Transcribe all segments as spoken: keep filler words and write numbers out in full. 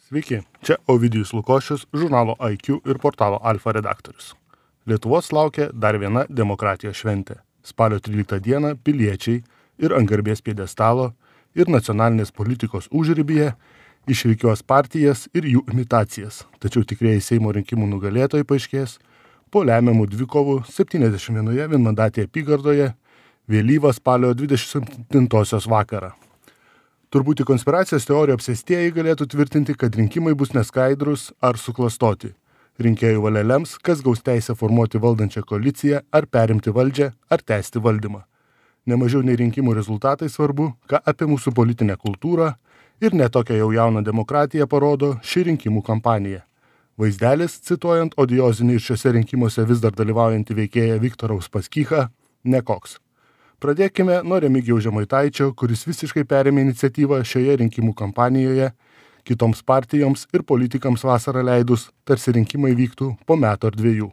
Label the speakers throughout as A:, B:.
A: Sveiki, čia Ovidijus Lukošius, žurnalo I Q ir portalo Alfa redaktorius. Lietuvos laukia dar viena demokratijos šventė. Spalio tryliktą dieną piliečiai ir ant garbės pjedestalo ir nacionalinės politikos užribyje išrikiuos partijas ir jų imitacijas. Tačiau tikrieji Seimo rinkimų nugalėtojai paaiškės po lemiamų dvikovų septyniasdešimt vienoje vienmandatėje apygardoje vėlyvą spalio dvidešimt septintosios vakarą. Turbūt į konspiracijos teorijų apsėstieji galėtų tvirtinti, kad rinkimai bus neskaidrus ar suklastoti. Rinkėjų valia lems, kas gaus teisę formuoti valdančią koaliciją, ar perimti valdžią, ar tęsti valdymą. Nemažiau nei rinkimų rezultatai svarbu, ką apie mūsų politinę kultūrą ir netokią jau jauną demokratiją parodo ši rinkimų kampanija. Vaizdelis, cituojant odiozinį ir šiuose rinkimuose vis dar dalyvaujantį veikėją Viktorą Uspaskichą, nekoks. Pradėkime nuo Remigijaus Žemaitaičio, kuris visiškai perėmė iniciatyvą šioje rinkimų kampanijoje, kitoms partijoms ir politikams vasarą leidus, tarsi rinkimai vyktų po metų ar dviejų.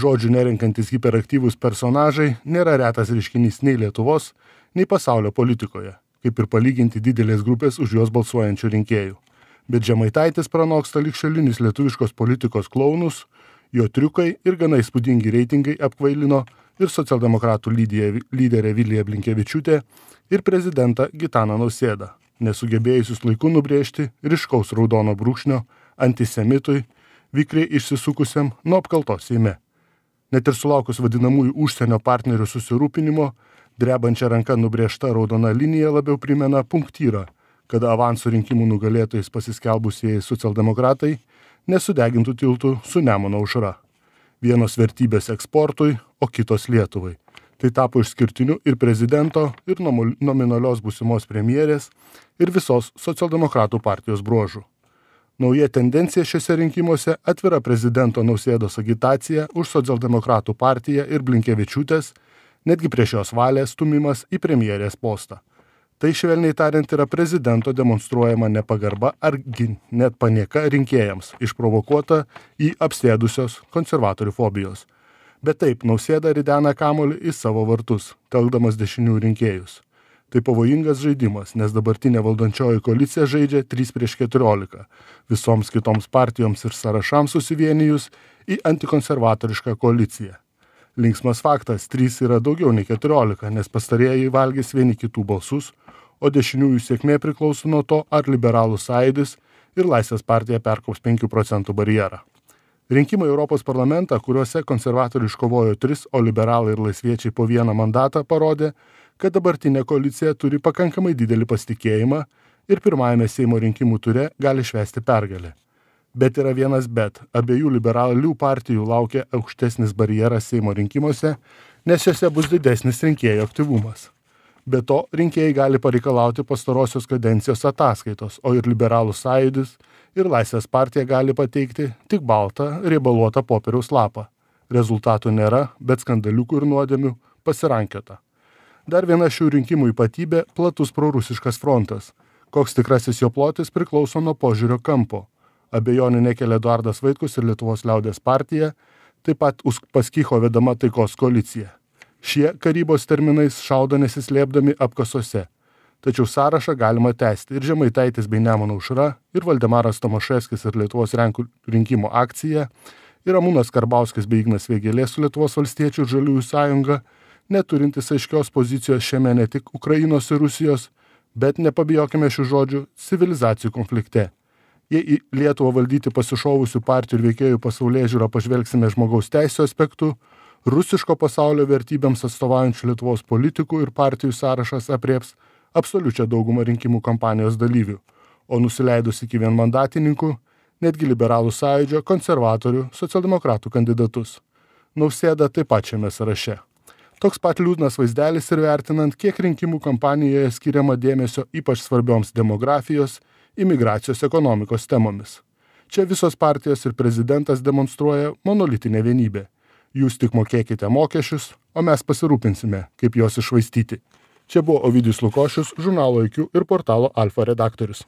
A: Žodžių nerenkantis hiperaktyvūs personažai nėra retas reiškinys nei Lietuvos, nei pasaulio politikoje, kaip ir palyginti didelės grupės už juos balsuojančių rinkėjų. Bet Žemaitaitis pranoksta ligšiolinius lietuviškos politikos klounus, jo triukai ir gana įspūdingi reitingai apkvailino ir socialdemokratų lyderė Vilija Blinkevičiūtė ir prezidentą Gitaną Nausėdą, nesugebėjusius laiku nubrėžti ryškaus raudono brūkšnio antisemitui, vikriai išsisukusiam nuo apkaltos Seime. Net ir sulaukus vadinamųjų užsienio partnerių susirūpinimo, drebančia ranka nubrėžta raudona linija labiau primena punktyrą, kada avansų rinkimų nugalėtojais pasiskelbusieji socialdemokratai nesudegintų tiltų su Nemuno aušra. Vienos vertybės eksportui, o kitos Lietuvai. Tai tapo išskirtiniu ir prezidento, ir nominalios būsimos premjerės, ir visos socialdemokratų partijos bruožų. Nauja tendencija šiuose rinkimuose atvira prezidento Nausėdos agitacija už socialdemokratų partiją ir Blinkevičiūtės, netgi prieš jos valią stumimas į premjerės postą. Tai švelniai tariant yra prezidento demonstruojama nepagarba ar net panieka rinkėjams, išprovokuota į apsėdusios konservatorių fobijos. Bet taip, Nausėda ridena kamuolį į savo vartus, telkdamas dešinių rinkėjus. Tai pavojingas žaidimas, nes dabartinė valdančioji koalicija žaidžia trys prieš keturiolika, visoms kitoms partijoms ir sąrašams susivienijus į antikonservatorišką koaliciją. Linksmas faktas, trys yra daugiau nei keturiolika, nes pastarieji valgys vieni kitų balsus, o dešiniųjų sėkmė priklauso nuo to, ar liberalų sąjūdis ir Laisvės partija perkops penkių procentų barjerą. Rinkimai Europos parlamentą, kuriuose konservatoriai iškovojo tris, o liberalai ir laisviečiai po vieną mandatą parodė, kad dabartinė koalicija turi pakankamai didelį pasitikėjimą ir pirmajame Seimo rinkimų ture gali švęsti pergalę. Bet yra vienas bet, abiejų liberalių partijų laukia aukštesnis barjeras Seimo rinkimuose, nes jose bus didesnis rinkėjų aktyvumas. Be to, rinkėjai gali pareikalauti pastarosios kadencijos ataskaitos, o ir liberalų sąjūdis ir Laisvės partija gali pateikti tik baltą, riebaluotą popieriaus lapą. Rezultatų nėra, bet skandaliukų ir nuodėmių pasirankiota. Dar viena šių rinkimų ypatybė – platus prorusiškas frontas. Koks tikrasis jo plotis priklauso nuo požiūrio kampo. Abejonių nekelia Eduardas Vaitkus ir Lietuvos liaudies partija, taip pat Uspaskicho vedama taikos koalicija. Šie karybos terminais šaudo nesislėpdami apkasuose. Tačiau sąrašą galima tęsti ir Žemaitaitis bei Nemuno aušra, ir Valdemaras Tomaševskis ir Lietuvos Lenkų rinkimų akcija, ir Ramūnas Karbauskis bei Ignas Vėgėlė su Lietuvos valstiečių ir Žaliųjų sąjunga, neturintis aiškios pozicijos šiame ne tik Ukrainos ir Rusijos, bet nepabijokime šių žodžių civilizacijų konflikte. Jei į Lietuvą valdyti pasišovusių partijų ir veikėjų pasaulėžiūrą pažvelgsime žmogaus teisių aspektu, rusiško pasaulio vertybėms atstovaujančių Lietuvos politikų ir partijų sąrašas aprieps absoliučią daugumą rinkimų kampanijos dalyvių, o nusileidus iki vienmandatininkų, netgi liberalų sąjūdžio, konservatorių, socialdemokratų kandidatus. Nausėda taip pat šiame sąraše. Toks pat liūdnas vaizdelis ir vertinant, kiek rinkimų kampanijoje skiriama dėmesio ypač svarbioms demografijos, imigracijos ekonomikos temomis. Čia visos partijos ir prezidentas demonstruoja monolitinę vienybę. Jūs tik mokėkite mokesčius, o mes pasirūpinsime, kaip juos iššvaistyti. Čia buvo Ovidijus Lukošius, žurnalo I Q ir portalo Alfa redaktorius.